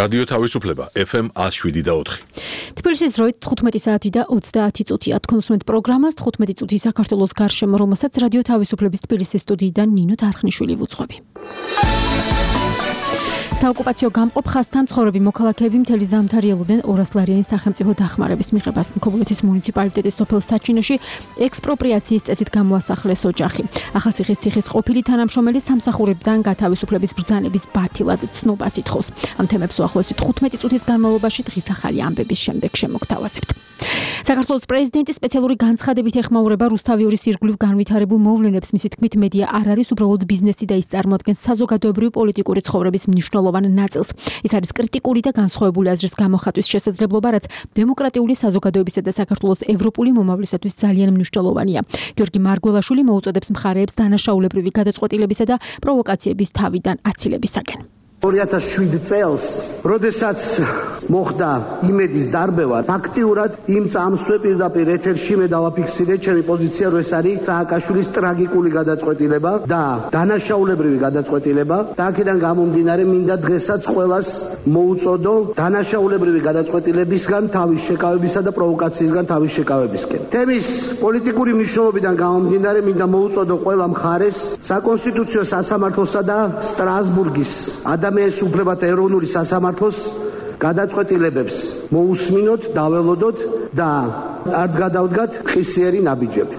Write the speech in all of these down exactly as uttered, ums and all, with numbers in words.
რადიო თავისუფლება ეფ ემ one oh seven და four. თბილისის დროით თხუთმეტი საათი და ოცდაათი წუთია. თქვენსმენთ პროგრამას თხუთმეტი წუთი საქართველოს გარშემო, რომელსაც რადიო თავისუფლების თბილისის სტუდიიდან ნინო დარხნიშვილი ვუძღვები. საოკუპაციო გამყოფ ხაზთან მცხოვრები მოქალაქეები მთელი ზამთარი ელოდნენ ორასლარიანი სახელმწიფო დახმარების მიღებას. ქობულეთის მუნიციპალიტეტის სოფელ საჩინოში ექსპროპრიაციის წესით გამოასახლეს ოჯახი. ახალციხის ციხის ყოფილი თანამშრომელი სამსახურებიდან გათავისუფლების ბრძანების ბათილად ცნობას ითხოვს. ამ თემებს უახლოესი თხუთმეტი წუთის განმავლობაში დღის ახალი ამბების შემდეგ შემოგთავაზებთ. საქართველოს პრეზიდენტის სპეციალური განცხადებით ეხმაურება რუსთავიორის ირგვლივ განვითარებულ მოვლენებს. მისი თქმით, მედია არ არის უბრალოდ ბიზნესი და ის წარმოადგენს საზოგადოებრივი პოლიტიკური ცხოვრების მნიშვნელოვან ნაწილს. ის არის კრიტიკული და განსხვავებული აზრის გამოხატვის შესაძლებლობა, რაც დემოკრატიული საზოგადოებისა და საქართველოს ევროპული მომავლისათვის ძალიან მნიშვნელოვანია. გიორგი მარგველაშვილი მოუწოდებს მხარეებს დანაშაულებრივი გადაწყვეტილებისა და პროვოკაციების თავიდან აცილებისაკენ. ორი ათას შვიდ წელს, როდესაც მოხდა იმედის დარბევა, ფაქტიურად იმ წამსვე პირდაპირ ეთერში მე დავაფიქსირე ჩემი პოზიცია, რომ ეს არის სააკაშვილის ტრაგიკული გადაწყვეტილება და დანაშაულებრივი გადაწყვეტილება. და აქედან გამომდინარე, მინდა დღესაც ყველას მოუწოდო დანაშაულებრივი გადაწყვეტილებისგან თავის შეკავებისა და პროვოკაციისგან თავის შეკავებისკენ. თემის პოლიტიკური მნიშვნელობიდან გამომდინარე, მინდა მოუწოდო ყველა მხარეს საკონსტიტუციო სასამართლოსა და სტრასბურგის ადამიანის უფლებათა ეროვნული სასამართლოს გადაწყვეტილებებს მოусმინოთ, დაველოდოთ და არ გადავდგათ ხისიერი ნაბიჯები.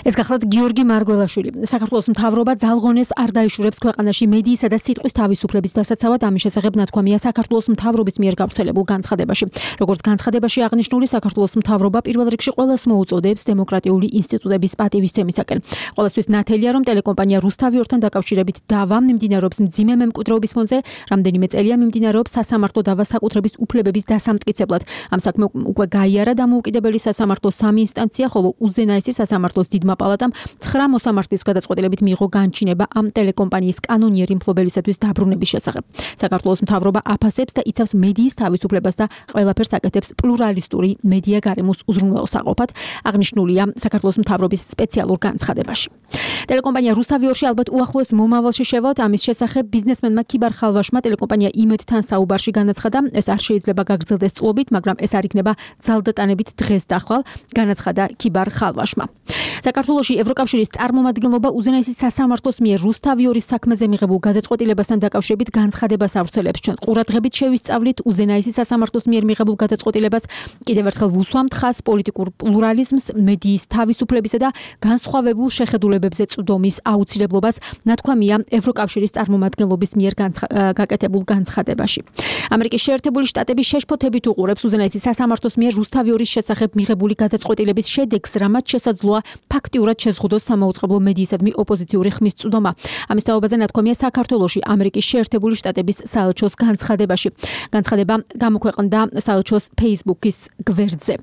ეს გახლავთ გიორგი მარგველაშვილი. საქართველოს მთავრობა ძალღონეს არ დაიშურებს ქვეყანაში მედიისა და სიტყვის თავისუფლების დასაცავად. ამის შესახებ ნათქვამია საქართველოს მთავრობის მიერ გავრცელებულ განცხადებაში. როგორც განცხადებაში აღნიშნული, საქართველოს მთავრობა პირველ რიგში ყველას მოუწოდებს დემოკრატიული ინსტიტუტების პატივისცემისაკენ. ყველასთვის ნათელია, რომ ტელეკომპანია რუსთავიორთან დაკავშირებით დავა მიმდინარეობს მძიმე მემკვიდრეობის ფონზე, რამდენიმე წელია მიმდინარეობს სასამართლო დავა საკუთრების უფლებების დასამტკიცებლად. ამ საქმე უკვე გაიარა დამოუკიდებელი სასამართლოს სამი ინსტანცია, ხოლო უზენაესი სასამართლოს დიდმა პალატამ ცხრა მოსამართლის გადაწყვეტილებით მიიღო განჩინება ამ ტელეკომპანიის კანონიერი მფლობელისათვის დაბრუნების შესახებ. საქართველოს მთავრობა აფასებს და იცავს მედიის თავისუფლებას და ყველაფერს აკეთებს პლურალისტური მედია გარემოს უზრუნველსაყოფად, აღნიშნულია საქართველოს მთავრობის სპეციალურ განცხადებაში. ტელეკომპანია რუსთავიორში ალბათ უახლოეს მომავალში შევალთ. ამის შესახებ ბიზნესმენმა ქიბარ ხალვაშმა ტელეკომპანია იმედთან საუბარში განაცხადა, ეს არ შეიძლება გაგრძელდეს წლობით, მაგრამ ეს არ იქნება ძალდატანებით დღეს და ხვალ, განაცხადა ქიბარ ხალვაშმა. საქართველოში ევროკავშირის წარმომადგენლობა უზენაესი სასამართლოს მიერ რუსთავიორის საქმეზე მიღებულ გადაწყვეტილებასთან დაკავშირებით განცხადებას ავრცელებს. ჩვენ ყურადღებით შევისწავლით უზენაესი სასამართლოს მიერ მიღებულ გადაწყვეტილებას. კიდევ ერთხელ ვუსვამთ ხაზს პოლიტიკურ პლურალიზმს, მედიის თავისუფლებისა და განსხვავებულ შეხედულებებზე წვდომის აუცილებლობას, ნათქვამია ევროკავშირის წარმომადგენლობის მიერ გაკეთებულ განცხადებაში. ამერიკის შეერთებული შტატები შეშფოთებით უყურებს უზენაესი სასამართლოს მიერ რუსთავიორის შესახებ მიღებული გადაწყვეტილების შედეგს, რამაც შესაძლოა ფაქტიურად შეზღუდოს სამაუწყებლო მედიისადმი ოპოზიციური ხმის წვდომა. ამის თაობაზე ნათქვამია საქართველოში ამერიკის შეერთებული შტატების საელჩოს განცხადებაში. განცხადება გამოქვეყნდა საელჩოს Facebook-ის გვერდზე.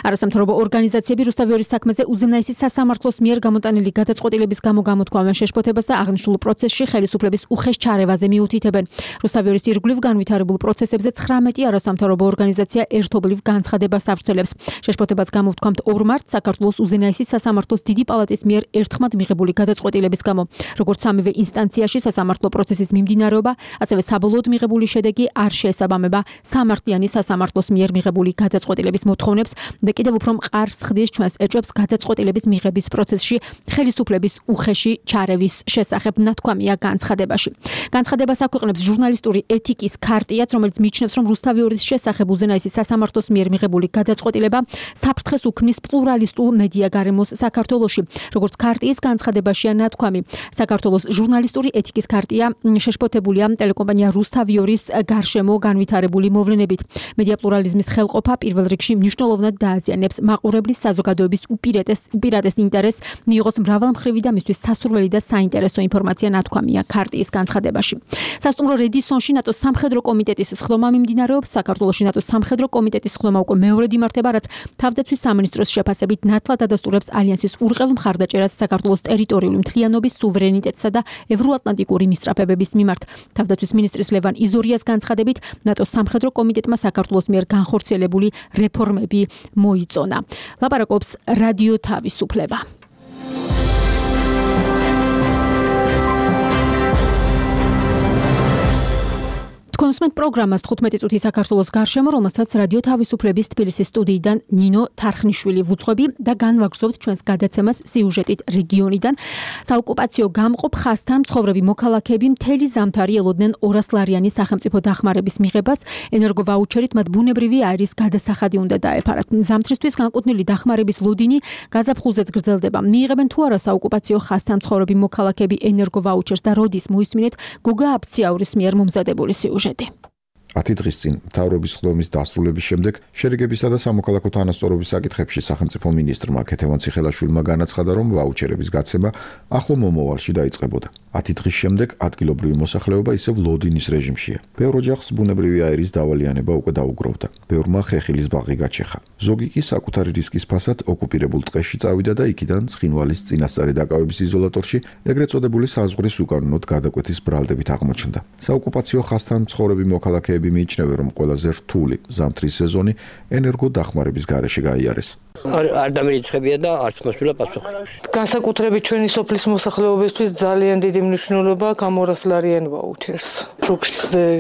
არასამთავრობო ორგანიზაციები რუსთავიორის საქმეზე უზენაესი სასამართლოს მიერ გამოტანილი გადაწყვეტილების გამო გამოთქვამენ შეშფოთებას და აღნიშნულ პროცესში ხელისუფლების უხეშ ჩარევაზე მიუთითებენ. რუსთავიორის ირგვლივ განვითარებულ პროცესებზე ცხრამეტი არასამთავრობო ორგანიზაცია ერთობლივ განცხადებას ავრცელებს. შეშფოთებას გამოვთქვამთ ორ მარტს საქართველოს უზენაესი სასამართლოს დიდი პალატის მიერ ერთხმად მიღებული გადაწყვეტილების გამო. როგორც სამივე ინსტანციაში სასამართლო პროცესის მიმდინარეობა, ასევე საბოლოოდ მიღებული შედეგი არ შეესაბამება სამართლიანი სასამართლოს მიერ მიღებული გადაწყვეტილების მოთხოვნებს და კიდევ უფრო მყარს ხდის ჩვენს ეჭვებს გადაწყვეტილების მიღების პროცესში ხელისუფლების უხეში ჩარევის შესახებ, ნათქვამია განცხადებაში. განცხადებას აქვეყნებს ჟურნალისტური ეთიკის ქარტიაც, რომელიც მიიჩნევს, რომ რუსთავიორის შესახებ უზენაესი სასამართლოს მიერ მიღებული გადაწყვეტილება საფრთხეს უქმნის პლურალისტულ მედია გარემოს საქართველოში. როგორც ქარტიის განცხადებაშია ნათქვამი, საქართველოს ჟურნალისტური ეთიკის ქარტია შეშფოთებულია ტელეკომპანია რუსთავიორის გარშემო განვითარებული მოვლენებით. მედია პლურალიზმის ხელყოფა პირველ რიგში მნიშვნელოვნად დააზიანებს მაყურებლის საზოგადოების უპირატეს უპირატეს ინტერესს, მიიღოს მრავალმხრივი და მისთვის სასურველი და საინტერესო ინფორმაცია, ნათქვამია ქარტიის განცხადებაში. სასტუმრო რედისონში ნატოს სამხედრო კომიტეტის სხდომა მიმდინარეობს. საქართველოში ნატოს სამხედრო კომიტეტის სხდომა უკვე მეორედ იმართება, რაც თავდაცვის სამინისტროს შეფასებით ნათლად ადასტურებს ალიანსის ურყევ მხარდაჭერას საქართველოს ტერიტორიული მთლიანობის, სუვერენიტეტსა და ევროატლანტიკური მისწრაფებების მიმართ. თავდაცვის მინისტრის ლევან იზორიას განცხადებით, ნატოს სამხედრო კომიტეტმა საქართველოს მიერ განხორციელებული რეფორმები მოიწონა. ლაპარაკობს რადიო თავისუფლება. თქვენ უსმენთ პროგრამას თხუთმეტი წუთი საქართველოს გარშემო, რომელსაც რადიო თავისუფლების თბილისის სტუდიიდან ნინო თარხნიშვილი ვუძღვები და განვაგრძობთ ჩვენს გადაცემას სიუჟეტით რეგიონიდან. საოკუპაციო გამყოფ ხაზთან მცხოვრები მოქალაქეები მთელი ზამთარი ელოდნენ ორასლარიანი სახელმწიფო დახმარების მიღებას, ენერგოვაუჩერით მათ ბუნებრივი აირის გადასახადი უნდა დაეფარათ. ზამთრისთვის განკუთვნილი დახმარების ლოდინი გაზაფხულზეც გრძელდება. მიიღებენ თუ არა საოკუპაციო ხაზთან მცხოვრები მოქალაქეები ენერგოვაუჩერს და როდის მოისმინეთ გოგა აბციაურის მიერ მომზადებული სიუჟეტი. ათი დღის წინ მთავრობის ხდომის დასრულების შემდეგ შერიგებისა და სამოქალაქო თანასწორობის საკითხებში სახელმწიფო მინისტრმა ქეთევან ციხელაშვილმა განაცხადა, რომ ვაუჩერების გაცემა ახლო მომავალში დაიწყებოდა. ათი დღის შემდეგ ადგილობრივი მოსახლეობა ისევ ლოდინის რეჟიმშია. ბევრ ოჯახს ბუნებრივი აირის დავალიანება უკვე დაუგროვდა. ბევრმა ხეხილის ბაღი გაჩეხა. ზოგი კი საკუთარი რისკის ფასად ოკუპირებულ ტყეში წავიდა და იქიდან ცხინვალის წინასწარი დაკავების იზოლატორში ეგრეთ წოდებული საზღვრის უკანონოდ გადაკვეთის ბრალდებით აღმოჩნდა. საოკუპაციო ხაზთან მცხოვრები მოქალაქეები მიიჩნევენ, რომ ყველაზე რთული ზამთრის სეზონი ენერგო დახმარების გარეშე გაიარეს. არ დამირიცხებია და არც მოსულა პასუხი. განსაკუთრებით ჩვენი სოფლის მოსახლეობისთვის ძალიან დიდი მნიშვნელობა აქვს ამ ორასლარიან ვაუჩერს. შუქს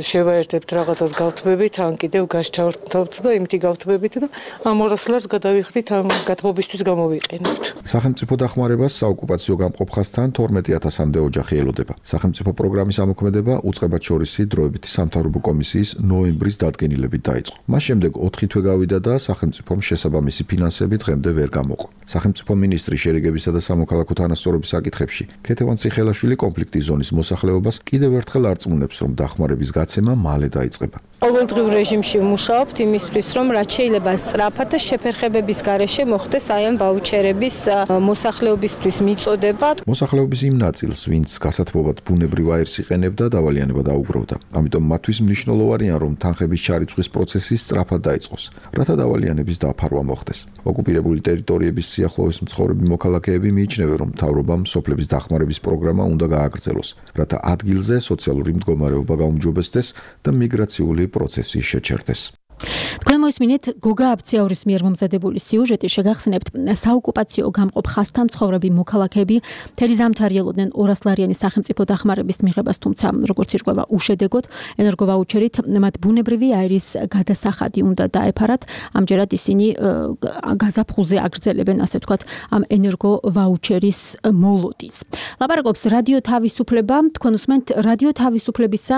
შევაერთებთ რაღაცას გავთბებით, ან კიდევ გასჩავთ და იმითი გავთბებით და ამ ორასლარს გადავიხდით ამ გათბობისთვის გამოვიყენებთ. სახელმწიფო დახმარებას საოკუპაციო გამყოფ ხაზთან თორმეტი ათასამდე ოჯახი ელოდება. სახელმწიფო პროგრამის ამოქმედება უწყებად შორისი დროებითი სამთავრობო კომისიის ნოემბრის დადგენილებით დაიწყო. მას შემდეგ ოთხი თვე გავიდა და სახელმწიფომ შესაბამისი ფინანსები დღემდე ვერ გამოყო. სახელმწიფო მინისტრი შერიგებისა და სამოქალაქო თანასწორობის საკითხებში ქეთევან ციხელაშვილი კონფლიქტის ზონის მოსახლეობას კიდევ ერთხელ არწმუნებს, რომ დახმარების გაცემა მალე დაიწყება. ყოველდღიურ რეჟიმში ვმუშაობთ იმისთვის, რომ რაც შეიძლება სწრაფად და შეფერხებების გარეშე მოხდეს აი ამ ვაუჩერების მოსახლეობისთვის მიწოდება. მოსახლეობის იმ ნაწილს, ვინც გასათბობად ბუნებრივ აირს იყენებდა, დავალიანება დაუგროვდა. ამიტომ მათთვის მნიშვნელოვანია, რომ თანხების ჩარიცხვის პროცესი სწრაფად დაიწყოს, რათა დავალიანების დაფარვა მოხდეს. ოკუპირებული ტერიტორიების სიახლოვეს მცხოვრები მოქალაქეები მიიჩნევენ, რომ მთავრობამ სოფლების დახმარების პროგრამა უნდა გააგრძელოს, რათა ადგილზე სოციალური მდგომარეობა გაუმჯობესდეს და მიგრაციული პროცესი შეჩერდეს. თქვენ მოისმინეთ გოგა აბციაურის მიერ მომზადებული სიუჟეტი. შეგახსენებთ, საოკუპაციო გამყოფ ხაზთან მცხოვრები მოქალაქეები მთელი ზამთარი ელოდნენ ორასლარიანი სახელმწიფო დახმარების მიღებას, თუმცა როგორც ირკვევა უშედეგოდ, ენერგოვაუჩერით მათ ბუნებრივი აირის გადასახადი უნდა დაეფარათ. ამჯერად ისინი გაზაფხულზე აგრძელებენ, ასე ვთქვათ, ამ ენერგოვაუჩერის მოლოდინს. ლაპარაკობს რადიო თავისუფლება. თქვენ უსმენთ რადიო თავისუფლებისა,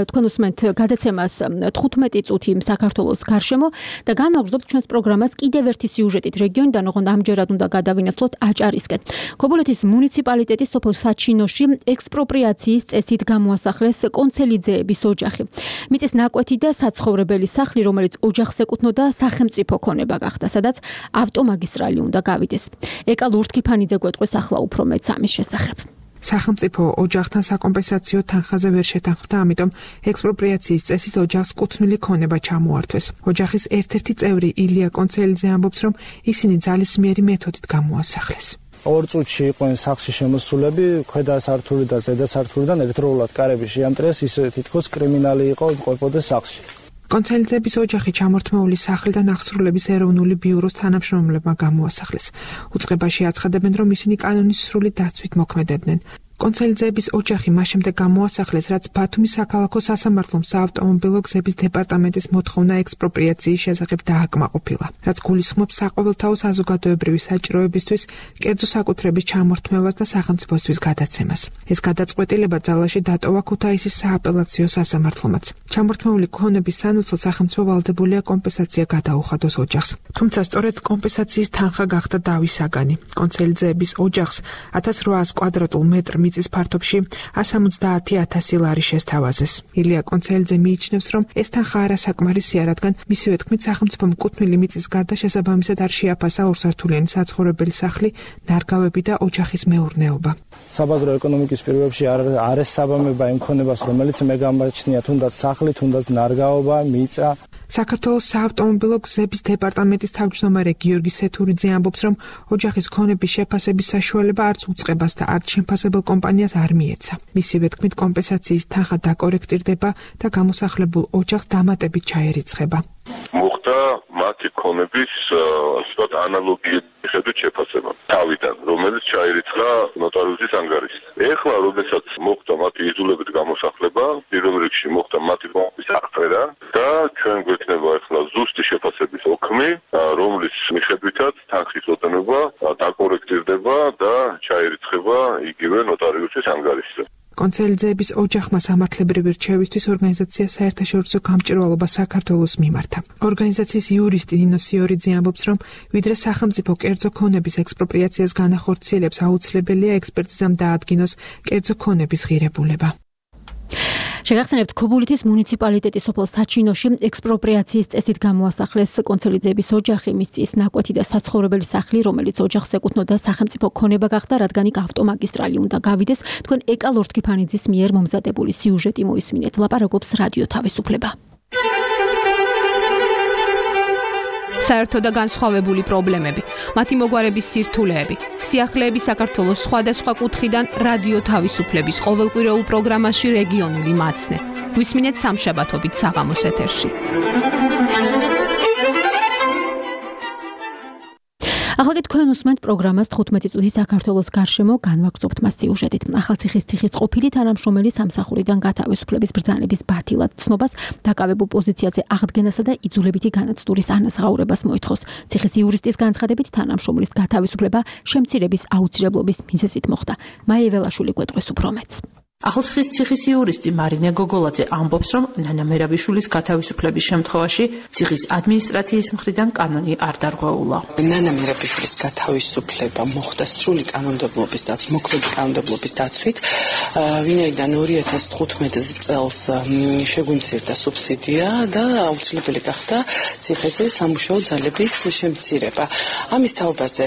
თქვენ უსმენთ გადაცემას თხუთმეტი წუთი საქართველოს გარშემო და განვაგრძობთ ჩვენს პროგრამას კიდევ ერთი სიუჟეტით რეგიონიდან, ოღონდ ამჯერად უნდა გადავინაცვლოთ აჭარისკენ. ქობულეთის მუნიციპალიტეტის სოფელ საჩინოში ექსპროპრიაციის წესით გამოასახლეს კონცელიძეების ოჯახი. მიწის ნაკვეთი და საცხოვრებელი სახლი, რომელიც ოჯახს ეკუთვნოდა, სახელმწიფო ქონება გახდა, სადაც ავტომაგისტრალი უნდა გავიდეს. ეკა ლურთქიფანიძე გვეტყვის ახლა უფრო მეც ამის შესახებ. სახელმწიფო ოჯახთან საკომპენსაციო თანხაზე ვერ შეთანხმდა, ამიტომ ექსპროპრიაციის წესით ოჯახს კუთვნილი ქონება ჩამოართვეს. ოჯახის ერთ-ერთი წევრი ილია კონცელიძე ამბობს, რომ ისინი ძალისმიერი მეთოდით გამოასახლეს. ორ წუთში იყვნენ სახლში შემოსულები, ქვედა სართული და ზედა სართულიდან ერთდროულად კარები შეამტრიეს, ისე თითქოს კრიმინალი იყო მყოფოდეს სახლში. კონცელიძეების ოჯახი ჩამორთმეული სახლიდან აღსრულების ეროვნული ბიუროს თანამშრომლებმა გამოასახლეს. უწყებაში აცხადებენ, რომ ისინი კანონის სრული დაცვით მოქმედებდნენ. კონცელიძეების ოჯახი მას შემდეგ გამოასახლეს, რაც ბათუმის საქალაქო სასამართლომ საავტომობილო გზების დეპარტამენტის მოთხოვნა ექსპროპრიაციის შესახებ დააკმაყოფილა, რაც გულისხმობს საყოველთაო საზოგადოებრივი საჭიროებისთვის კერძო საკუთრების ჩამორთმევას და სახელმწიფოსთვის გადაცემას. ეს გადაწყვეტილება ძალაში დატოვა ქუთაისის სააპელაციო სასამართლომაც. ჩამორთმეული ქონების სანაცვლოდ სახელმწიფო ვალდებულია კომპენსაცია გადაუხადოს ოჯახს. თუმცა სწორედ კომპენსაციის თანხა გახდა დავის საგანი. კონცელიძეების ოჯახს ათას რვაას კვადრატულ მეტრ მიწის ფართობში ას ორმოცდაათი ათასი ლარი შესთავაზეს. ილია კონცელიძე მიიჩნევს, რომ ეს თანხა არასაკმარისია, რადგან მისივე თქმით სახელმწიფომ კუთვნილი მიწის გარდა შესაბამისად არ შეაფასა ორსართულიანი საცხოვრებელი სახლი, ნარგავები და ოჯახის მეურნეობა. საბაზრო ეკონომიკის პირობებში არ არის საბამება იმ ქონებას, რომელიც მე გამაჩნია, თუნდაც სახლი, თუნდაც ნარგავობა, მიწა. საქართველოს საავტომობილო გზების დეპარტამენტის თავმჯდომარე გიორგი სეთურიძე ამბობს, რომ ოჯახის ქონების შეფასების საშუალება არც უწყებას და არც შემფასებელ კომპანიას არ მიეცა. მისივე თქმით, კომპენსაციის თანხა დაკორექტირდება და გამოსახლებულ ოჯახს დამატებით ჩაერიცხება. მოხდა მათი ქონების ასეთ ანალოგიები მიხედვით შეფასება თავიდან, რომელიც ჩაირიცხა ნოტარიუსის ანგარიშს. ეხლა, როდესაც მოხდა მათი იძულებით გამოსახლება, პირველ რიგში მოხდა მათი მომის აღწერა და ჩვენ გვექნება ეხლა ზუსტი შეფასების ოქმი, რომლის მიხედვითაც თანხის ოდენობა დაკორექტირდება და ჩაირიცხება იგივე ნოტარიუსის ანგარიშზე. კონცელიძეების ოჯახმა სამართლებრივი რჩევისთვის ორგანიზაცია საერთაშორისო გამჭირვალობა საქართველოს მიმართა. ორგანიზაციის იურისტი ნინო სიორიძე ამბობს, რომ ვიდრე სახელმწიფო კერძო ქონების ექსპროპრიაციას განახორციელებს, აუცილებელია ექსპერტიზამ დაადგინოს კერძო ქონების ღირებულება. შეგახსენებთ, ქობულეთის მუნიციპალიტეტის სოფელ საჩინოში ექსპროპრიაციის წესით გამოასახლეს კონცელიძეების ოჯახი, მის წის ნაკვეთი და საცხოვრებელი სახლი, რომელიც ოჯახს ეკუთვნოდა სახელმწიფო ქონება გახდა, რადგან იქ ავტომაგისტრალი უნდა გავიდეს. თქვენ ეკა ლორთქიფანიძის მიერ მომზადებული სიუჟეტი მოისმინეთ. ლაპარაკობს რადიო თავისუფლება. საერთო და განსხვავებული პრობლემები, მათი მოგვარების სირთულეები, სიახლეები საქართველოს სხვადასხვა კუთხიდან რადიო თავისუფლების ყოველკვირეულ პროგრამაში რეგიონული მაცნე. გვისმინეთ სამშაბათობით საღამოს ეთერში. ახლა კი თქვენ უსმენთ პროგრამას თხუთმეტი წუთი საქართველოს გარშემო, განვაგრძობთ მას სიუჟეტით. ახალციხის ციხის ყოფილი თანამშრომელი სამსახურიდან გათავისუფლების ბრძანების ბათილად ცნობას, დაკავებულ პოზიციაზე აღდგენასა და იძულებითი განაცდურის ანაზღაურებას მოითხოვს. ციხის იურისტის განცხადებით, თანამშრომლის გათავისუფლება შემცირების აუცილებლობის მიზეზით მოხდა. მაია ველაშვილი გვეტყვის უფრო მეტს. ახალციხის ციხის იურისტი მარინე გოგოლაძე ამბობს, რომ ნანა მერაბიშვილის გათავისუფლების შემთხვევაში ციხის ადმინისტრაციის მხრიდან კანონი არ დარღვეულა. ნანა მერაბიშვილის გათავისუფლება მოხდა სრული კანონმდებლობის და მოქმედი კანონმდებლობის დაცვით, ვინაიდან ორი ათას თხუთმეტ წელს შეგვიმცირდა სუბსიდია და აუცილებელი გახდა ციხეზე სამუშაო ძალების შემცირება. ამის თაობაზე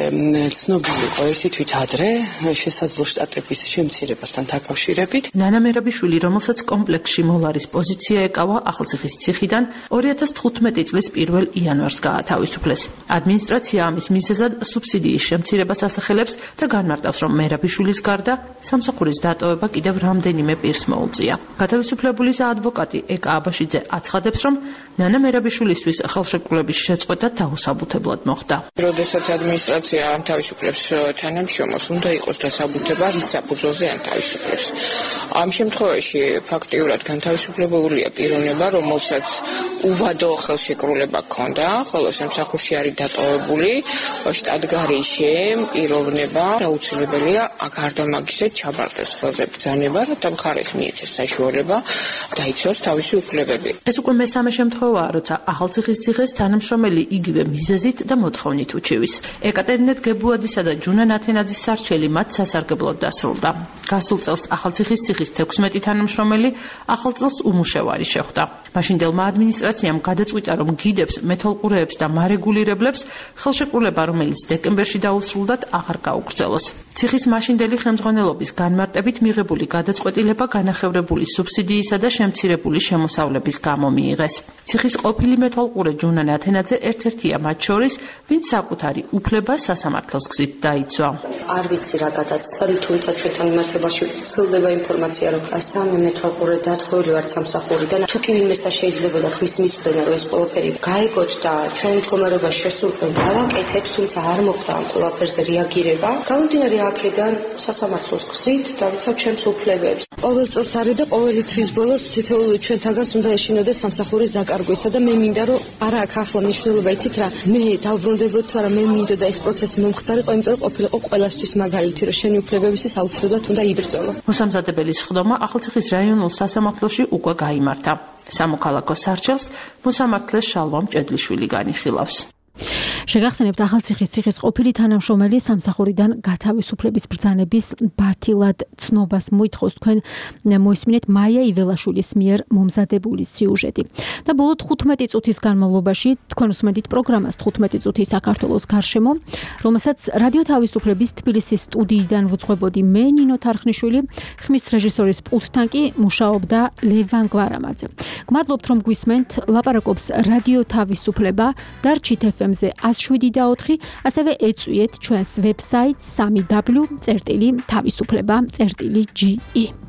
ცნობილი იყო ერთი თვით ადრე შესაძლო შტატების შემცირებასთან დაკავშირებით. ნანა მერაბიშვილი, რომელსაც კომპლექსში მოლარის პოზიცია ეკავა, ახალციხის ციხიდან ორი ათას თხუთმეტი წლის პირველ იანვარს გაათავისუფლეს. ადმინისტრაცია ამის მიზეზად სუბსიდიის შემცირებას ასახელებს და განმარტავს, რომ მერაბიშვილის გარდა სამსახურის დატოვება კიდევ რამდენიმე პირს მოუწია. გათავისუფლებულის ადვოკატი ეკა აბაშიძე აცხადებს, რომ ნანა მერაბიშვილისთვის ხელშეკრულების შეწყვეტა დაუსაბუთებლად მოხდა. როდესაც ადმინისტრაცია ამთავისუფლებს თანამშრომელს, უნდა იყოს დასაბუთება, რის საფუძველზე ამთავისუფლებს. ამ შემთხვევაში ფაქტიურად განთავისუფლებულია პიროვნება, რომელსაც უვადო ხელშეკრულება ჰქონდა, ხოლო სამსახურში არის დატოვებული შტატგარიშე პიროვნება, აუცილებელია გარდა მაგისა ჩაბარდეს ხელზე ბრძანება, რათა მხარეს მიეცეს საშუალება დაიცვას თავისი უფლებები. ეს უკვე მესამე შემთხვევაა, როცა ახალციხის ციხეს თანამშრომელი იგივე მიზეზით და მოთხოვნით უჩივის. ეკატერინე გებუადისა და ჯუნა ნათენაძის სარჩელი მათ სასარგებლოდ დასრულდა. გასულ წელს ახალციხის ციხის თექვსმეტი თანამშრომელი ახალ წელს უმუშევარი შეხვდა. მაშინდელმა ადმინისტრაციამ გადაწყვიტა, რომ გიდებს, მეთვალყურეებს და მარეგულირებლებს ხელშეკრულება, რომელიც დეკემბერში დაუსრულდათ, აღარ გაუგრძელოს. ციხის მაშინდელი ხელმძღვანელობის განმარტებით მიღებული გადაწყვეტილება განახევრებული სუბსიდიისა და შემცირებული შემოსავლების გამო მიიღეს. ციხის ყოფილი მეთვალყურე ჯუნა ნათენაძე ერთ-ერთია მათ შორის, ვინც საკუთარი უფლება სასამართლოს გზით დაიცვა. არ ვიცი რა გადაწყდა, თუმცა ჩვენთან მიმართებაში ცდილდება ინფორმაცია, რომ სამი მეთვალყურე დათხოვილი ვართ სამსახურიდან. თუ კი ვინმე შეიძლება და ხმის მიწვენა, რომ ეს ყველაფერი გაიგოთ და ჩვენ მდგომარეობაში შესულყვენ გავაკეთეთ, თუმცა არ მოხდა ამ ყველაფერზე რეაგირება. გამომდინარე აქედან სასამართლოს გზით დავიცავ ჩვენს უფლებებს. ყოველ წელს არის და ყოველი თვის ბოლოს თითოეული ჩვენთაგანს უნდა ეშინოდეს სამსახურის დაკარგვისა და მე მინდა რომ არა აქ ახლა მნიშვნელობა იცით რა, მე დავბრუნდებოდ თუ არა მე მინდოდა და ეს პროცესი მომხდარიყო, იმიტომ რომ ყოფილიყო ყველასთვის მაგალითი, რომ შენი უფლებებისთვის აუცილებლად უნდა იბრძოლო. მოსამზადებელის ხდომა ახალციხის რაიონულ სასამართლოში უკვე გაიმართა. სამოქალაქო სარჩელს მოსამართლეს შალვა მჭედლიშვილი განიხილავს. შეგახსენებთ, ახალციხის ციხის ყოფილი თანამშრომელი სამსახურიდან გათავისუფლების ბრძანების ბათილად ცნობას მოითხოვს. თქვენ მოისმინეთ მაია იველაშვილის მიერ მომზადებული სიუჟეტი. და ბოლო თხუთმეტი წუთის განმავლობაში თქვენ უსმენთ პროგრამას თხუთმეტი წუთი საქართველოს გარშემო, რომელსაც რადიო თავისუფლების თბილისის სტუდიიდან ვუძღვებოდი მე ნინო თარხნიშვილი, ხმის რეჟისორის პულტთან კი მუშაობდა ლევან გვარამაძე. გმადლობთ, რომ გვისმენთ. ლაპარაკობს რადიო თავისუფლება და რჩით ეფ ემ-ზე ას შვიდი და ოთხი, ასევე ეწვიეთ ჩვენს ვებსაიტს სამი დაბლიუ წერტილი თავისუფლება წერტილი ჯი ი.